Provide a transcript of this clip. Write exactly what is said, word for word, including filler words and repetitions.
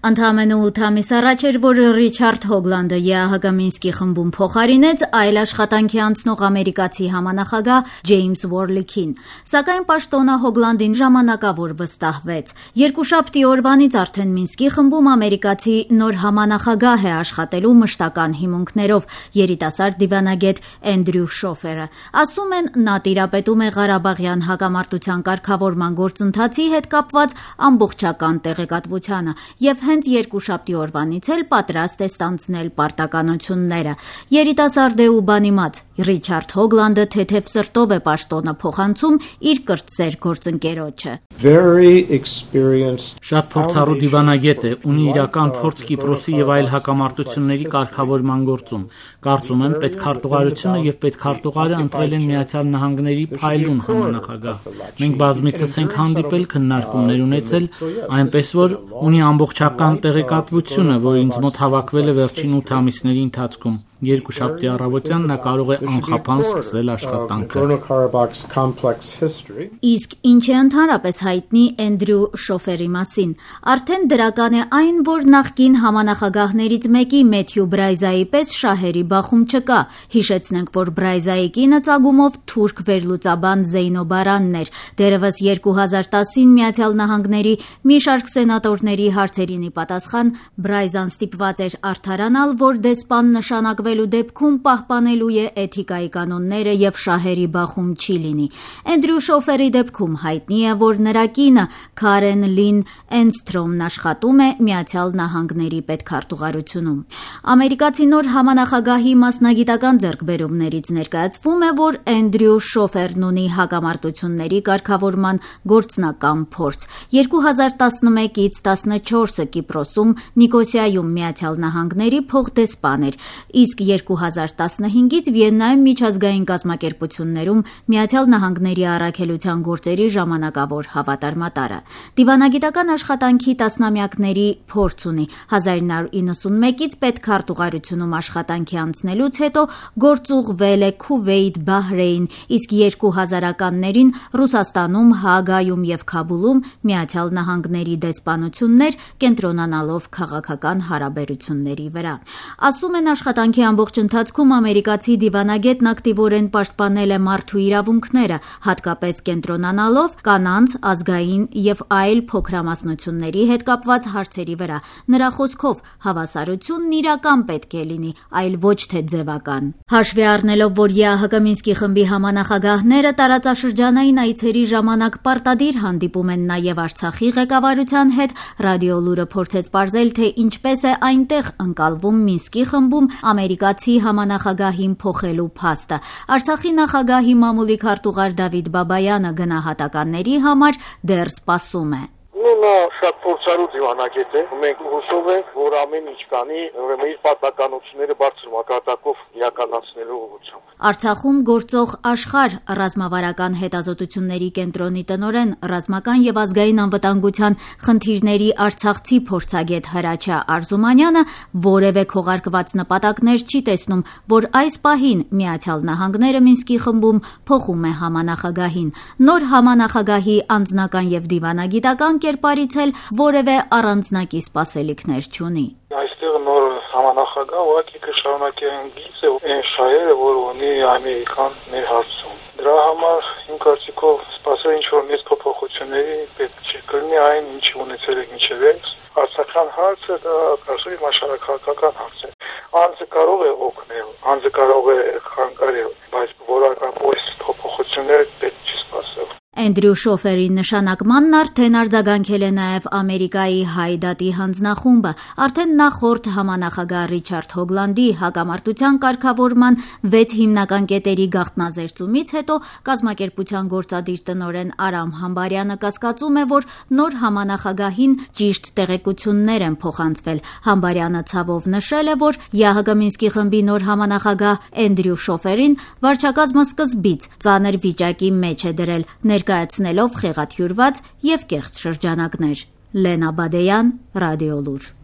Ընդամենը ութ ամիս առաջ էր, որ Ռիչարդ Հոգլանդը ԵԱՀԿ Մինսկի խմբում փոխարինեց այլ աշխատանքի անցնող ամերիկացի համանախագահ Ջեյմս Ուորլիքին, սակայն պաշտոնը Հոգլանդին ժամանակավոր վստահվեց։ Երկուշաբթի օրվանից արդեն Մինսկի խմբում ամերիկացի նոր համանախագահ է աշխատելու մշտական հիմունքներով, երիտասարդ դիվանագետ Էնդրյու Շոֆերը։ Ասում են, նա տիրապետում է Ղարաբաղյան հակամարտության կարգավորման գործընթացի հետ կապված ամբողջական տեղեկատվությանը և հենց երկուշաբթի օրվանից էլ պատրաստ է ստանձնել պարտականությունները։ Երիտասարդ է ու բանիմաց, Ռիչարդ Հոգլանդը թեթև սրտով է պաշտոնը փոխանցում իր կրտսեր գործընկերոջը։ Շատ փորձառու դիվանագետ է, ունի իրական փորձ Կիպրոսի և այլ հակամարտությունների կարգավորման գործում։ Կարծում եմ, պետքարտուղարությունը և պետքարտուղարը ընտրել են Միացյալ Նահանգների փայլուն համանախագահ։ Մենք բազմիցս ենք հանդիպել, քննարկումներ ունեցել, այնպես որ ունի ամբողջական տեղեկատվությունը, որ ինձ մոտ հավաքվել է վերջին ութ ամիսների ընթացքում։ Երկուշաբթի առավոտյան նա կարող է անխափան սկսել աշխատանքը։ Իսկ ինչ է ընդհանրապես հայտնի Էնդրյու Շոֆերի մասին։ Արդեն դրական է այն, որ նախկին համանախագահներից մեկի Մեթյու Բրայզայի պես շահերի բախում չկա։ Հիշեցնենք, որ Բրայզայի կինը ծագումով թուրք վերլուծաբան Զեյնո Բարանն էր։ Դեռևս երկու հազար տասին Միացյալ Նահանգների մի շարք սենատորների հարցերին ի պատասխան Բրայզան ստիպված էր արդարանալ, որ դեսպան նշանակվելու դեպքում պահպանելու է էթիկայի կանոնները և շահերի բախում չի լինի։ Էնդրյու Շոֆերի դեպքում հայտնի է, որ նրա կինը Քարեն Լին Էնսթրոմն աշխատում է Միացյալ Նահանգների պետքարտուղարությունում։ Ամերիկացի նոր համանախագահի մասնագիտական ձեռքբերումներից ներկայացվում է, որ Էնդրյու Շոֆերն ունի հակամարտությունների կարգավորման գործնական փորձ։ երկու հազար տասնմեկից տասնչորսը Կիպրոսում Նիկոսիայում Միացյալ Նահանգների փոխդեսպան էր, իսկ երկու հազար տասնհինգից Վիեննայում միջազգային կազմակերպություններում Միացյալ Նահանգների առաքելության գործերի ժամանակավոր հավատարմատարը։ Դիվանագիտական աշխատանքի տասնամյակների փորձ ունի։ հազար նոր իննսունմեկից պետքարտուղարությունում աշխատանքի անցնելուց հետո գործուղվել է Քուվեյթ, Բահրեյն, իսկ երկու հազարականներին Ռուսաստանում, Հաագայում և Քաբուլում Միացյալ Նահանգների դեսպանություններ, կենտրոնանալով քաղաքական հարաբերությունների վրա։ Ասում են, աշխատանքի ամբողջ ընթացքում ամերիկացի դիվանագետն ակտիվորեն պաշտպանել է մարդու իրավունքները, հատկապես կենտրոնանալով կանանց, ազգային և այլ փոքրամասնությունների հետ կապված հարցերի վրա։ Նրա խոսքով, հավասարությունն իրական պետք է լինի, այլ ոչ թե ձևական։ Հաշվի առնելով, որ ԵԱՀԿ Մինսկի խմբի համանախագահները տարածաշրջանային այցերի ժամանակ պարտադիր հանդիպում են նաև Արցախի ղեկավարության հետ, Ռադիոլուրը փորձեց պարզել, թե ինչպես է այնտեղ ընկալվում Մինսկի խմբում ամերիկացի համանախագահին փոխելու փաստը։ Արցախի նախագահի մամուլի քարտուղար Դավիթ Բաբայանը գնահատականների համար դեռ սպասում է։ Նա շատ փորձառու դիվանագետ է։ Մենք հուսով ենք, որ ամեն ինչ կանի ուրեմն իր պարտականությունները բարձր մակարդակով իրականացնելու ուղղությամբ։ Արցախում գործող Աշխարհ ռազմավարական հետազոտությունների կենտրոնի տնօրեն, ռազմական և ազգային անվտանգության խնդիրների արցախցի փորձագետ Հրաչյա Արզումանյանը որևէ քողարկված նպատակներ չի տեսնում, որ այս պահին Միացյալ Նահանգները Մինսկի խմբում փոխում է համանախագահին։ Նոր համանախագահի անձնական և դիվանագիտական կերպարից էլ որևէ առանձնակի սպասելիքներ չունի։ Այստեղ նոր համանախագահ ուղղակի կշարունակի այն գիծը, այն շահերը, որ ունի Ամերիկան մեր հարցում։ Դրա համար իմ կարծիքով սպասել ինչ-որ մեծ փոփոխությունների պետք չի կլինի այն, ինչ ունեցել ենք մինչև այս։ Արցախյան հարցը դա կարծում եմ աշխարհաքաղաքական հարց է։ Անձը կարող է օգնել, անձը կարող է խանգարել, բայց որակապես փոփոխություններ պետք չի սպասել։ Էնդրյու Շոֆերի նշանակմանն արդեն արձագանքել է նաև Ամերիկայի Հայ դատի հանձնախումբը։ Արդեն նախորդ համանախագահ Ռիչարդ Հոգլանդի հակամարտության կարգավորման վեց հիմնական կետերի գաղտնազերծումից հետո կազմակերպության գործադիր տնօրեն Արամ Համբարյանը կասկածում է, որ նոր համանախագահին ճիշտ տեղեկություններ են փոխանցվել։ Համբարյանը ցավով նշել է, որ ԵԱՀԿ Մինսկի խմբի նոր համանախագահ Էնդրյու Շոֆերին վարչակազմը սկզբից ծանր վիճակի մեջ է դրել, ներկայացնելով խեղաթյուրված և կեղծ շրջանակներ։ Լենա Բադեյան, Ռադիոլուր։